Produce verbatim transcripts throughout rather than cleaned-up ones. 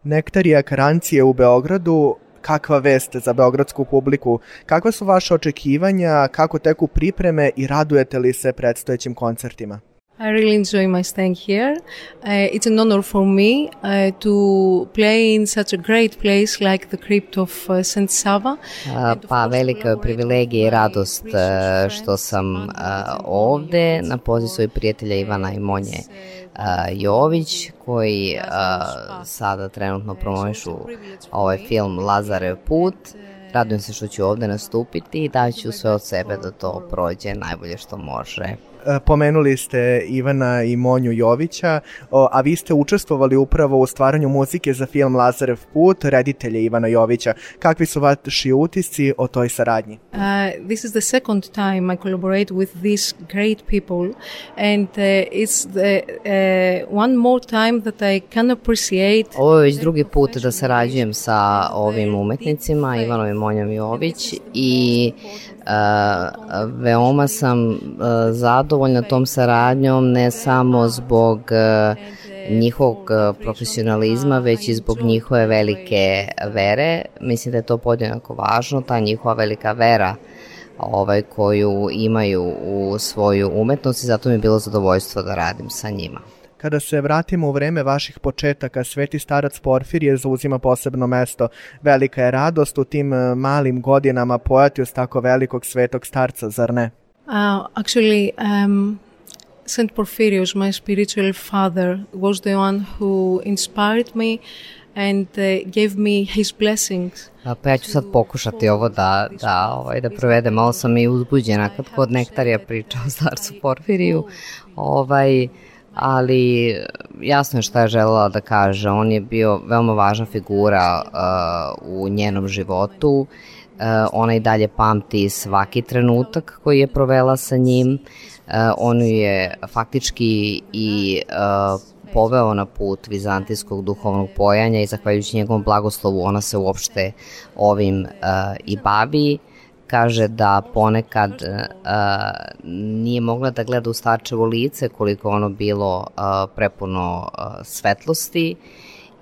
Nektarija Karancije u Beogradu, kakva vest za beogradsku publiku? Kakva su vaše očekivanja, kako teku pripreme i radujete li se predstojećim koncertima? I really enjoy my staying here. Uh, it's an honor for me uh, to play in such a great place like the crypt of uh, Saint Sava. Uh, pa velika je privilegija i radost uh, što sam uh, ovde na poziv svojih prijatelja Ivana i Monje uh, Jović, koji uh, sada trenutno promovišu ovaj film Lazarev put. Radujem se što ću ovde nastupiti i daću sve od sebe da to prođe najbolje što može. Pomenuli ste Ivana i Monju Jovića, a vi ste učestvovali upravo u stvaranju muzike za film Lazarev put, reditelja Ivana Jovića. Kakvi su vaši utisci o toj saradnji? Uh, this is the second time I collaborate with these great people and uh, it's the, uh, one more time that I can appreciate. Ovo je već drugi put da sarađujem sa ovim umetnicima, Ivanom i Monjom Jović, i Uh, veoma sam uh, zadovoljna tom saradnjom, ne samo zbog uh, njihovog uh, profesionalizma, već i zbog njihove velike vere. Mislim da je to podjednako važno, ta njihova velika vera ovaj, koju imaju u svoju umetnost, i zato mi je bilo zadovoljstvo da radim sa njima. Kada se vratimo u vreme vaših početaka, Sveti starac Porfirije zauzima posebno mesto. Velika je radost u tim malim godinama pojati uz tako velikog svetog starca, zar ne? Uh, actually, um, Saint Porphyrios, my spiritual father, was the one who inspired me and uh, gave me his blessings. Pa ja ću sad pokušati ovo da, da, ovaj, da provedem. Malo sam i uzbuđena kad kod Nektarija priča o starcu Porfiriju. Ovaj... ali jasno je šta je želela da kaže. On je bio veoma važna figura uh, u njenom životu. Uh, ona i dalje pamti svaki trenutak koji je provela sa njim. Uh, on je faktički i uh, poveo na put vizantijskog duhovnog pojanja i zahvaljujući njegovom blagoslovu ona se uopšte ovim uh, i bavi. Kaže da ponekad uh, nije mogla da gleda u starčevo lice koliko ono bilo uh, prepuno uh, svetlosti,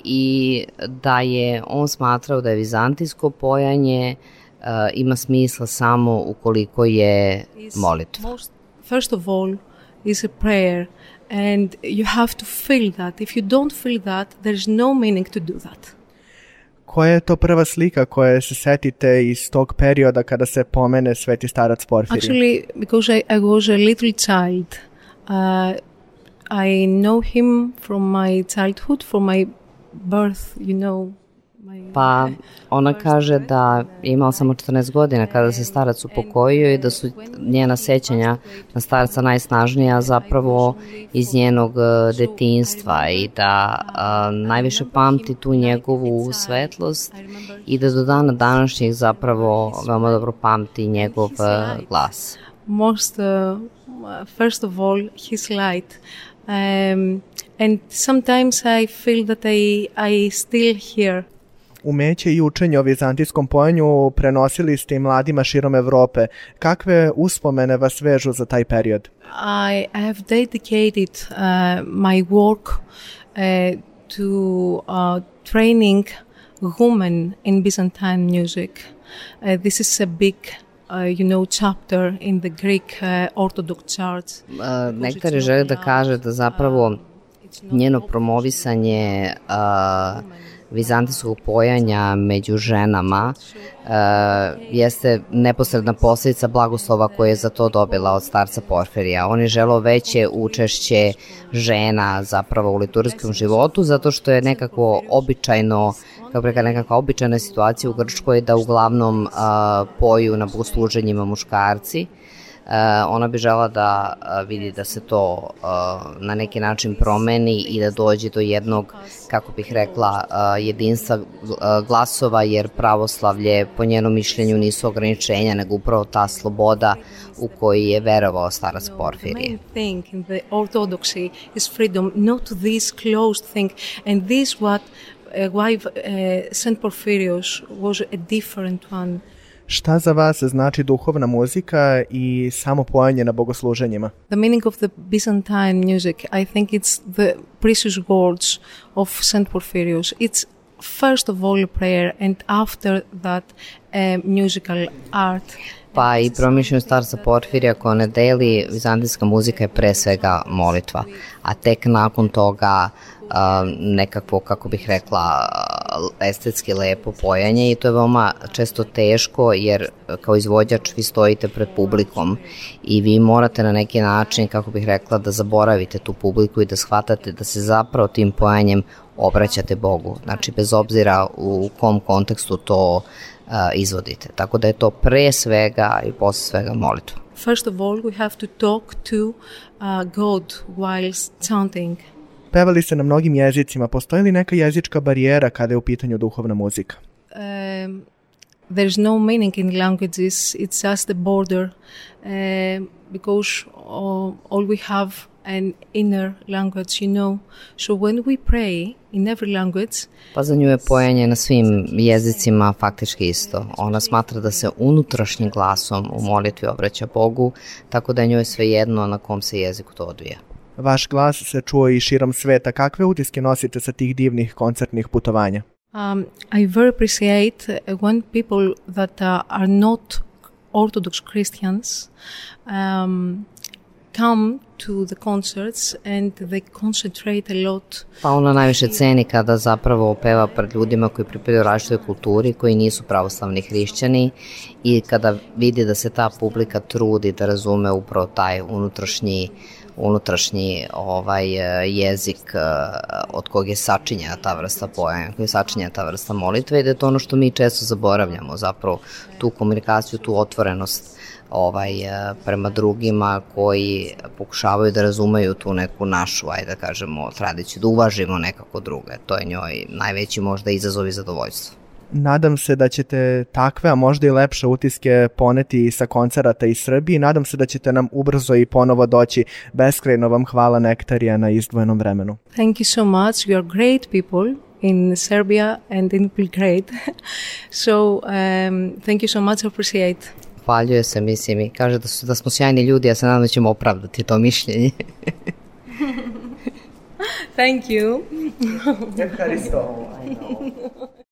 i da je on smatrao da je vizantijsko pojanje uh, ima smisla samo ukoliko je molitva. First of all is a prayer and you have to feel that. If you don't feel that, there's no meaning to do that. Koja je to prva slika koje se setite iz tog perioda kada se pomene Sveti starac Porfirije? Actually, because I, I was a little child, uh, I know him from my childhood, from my birth, you know. Pa ona kaže da je imala samo četrnaest godina kada se starac upokojio i da su njena sećanja na starca najsnažnija zapravo iz njenog detinjstva, i da a, najviše pamti tu njegovu svetlost i da do dana današnjeg zapravo veoma dobro pamti njegov glas. Most, uh, first of all, his light. Um, and sometimes I feel that I, I still hear. Umeće i učenje o vizantijskom pojanju prenosili ste i mladima širom Evrope. Kakve uspomene vas vežu za taj period? I have dedicated uh, my work uh, to uh, training women in Byzantine music. Uh, this is a big Uh, you know, chapter in the Greek uh, Orthodox Church. Uh, Nektar želi da kaže da zapravo njeno promovisanje uh, vizantijskog pojanja među ženama uh, jeste neposredna posljedica blagoslova koje je za to dobila od starca Porfirija. On je želeo veće učešće žena zapravo u liturgijskom životu, zato što je nekako običajno, kao preka nekakva običajna situacija u Grčkoj da uglavnom uh, poju na bogosluženjima muškarci. Uh, ona bi žela da uh, vidi da se to uh, na neki način promeni i da dođe do jednog, kako bih rekla, uh, jedinstva uh, glasova, jer pravoslavlje po njenom mišljenju nisu ograničenja, nego upravo ta sloboda u koju je verovao starac Porfirije. The main thing in the orthodoxy is freedom, not this closed thing, and this what uh, why uh, Saint Porphyrios was a different one. Šta za vas znači duhovna muzika i samo pojanje na bogosluženjima? The meaning of the Byzantine music, I think it's the precious words of Saint Porphyrios. It's first of all prayer and after that uh, musical art. Pa i promišljaju starca Porfirija ko ne deli, vizantijska muzika je pre svega molitva, a tek nakon toga uh, nekakvo, kako bih rekla, estetski lepo pojanje i to je veoma često teško jer kao izvođač vi stojite pred publikom i vi morate na neki način, kako bih rekla, da zaboravite tu publiku i da shvatate da se zapravo tim pojanjem obraćate Bogu, znači bez obzira u kom kontekstu to uh, izvodite. Tako da je to pre svega i posle svega molitva. First of all, we have to talk to uh, God while chanting. Pevali ste na mnogim jezicima. Postoji li neka jezička barijera kada je u pitanju duhovna muzika? Um, there's no meaning in languages. It's just a border uh, because uh, all we have an inner language, you know. So when we pray in every language... Pa za nju je pojanje na svim jezicima faktički isto. Ona smatra da se unutrašnjim glasom u molitvi obraća Bogu, tako da je njoj svejedno na kom se jeziku to odvija. Vaš glas se čuo i širom sveta. Kakve utiske nosite sa tih divnih koncertnih putovanja? Um, I very appreciate when people that uh, are not Orthodox Christians um, come to the concerts and they concentrate a lot. Pa ona najviše ceni kada zapravo peva pred ljudima koji pripadaju različitoj kulturi, koji nisu pravoslavni hrišćani i kada vidi da se ta publika trudi da razume upravo taj unutrašnji unutrašnji ovaj jezik od kog je sačinjena ta vrsta pojanja, koji je sačinjena ta vrsta molitve i da je to ono što mi često zaboravljamo, zapravo tu komunikaciju, tu otvorenost ovaj, prema drugima koji pokušavaju da razumeju tu neku našu, ajde da kažemo, tradiciju, da uvažimo nekako druge. To je njoj najveći možda izazov i zadovoljstvo. Nadam se da ćete takve, a možda i lepše utiske poneti sa koncerata iz Srbije. Nadam se da ćete nam ubrzo i ponovo doći. Beskrajno vam hvala, Nektarija, na izdvojenom vremenu. Thank you so much. You are great people in Serbia and in Belgrade. So, um, thank you so much. I appreciate. Hvaljuje se, mislim, i kaže da, su, da smo sjajni ljudi, ja se nadam da ćemo opravdati to mišljenje. Thank you. Evharisto.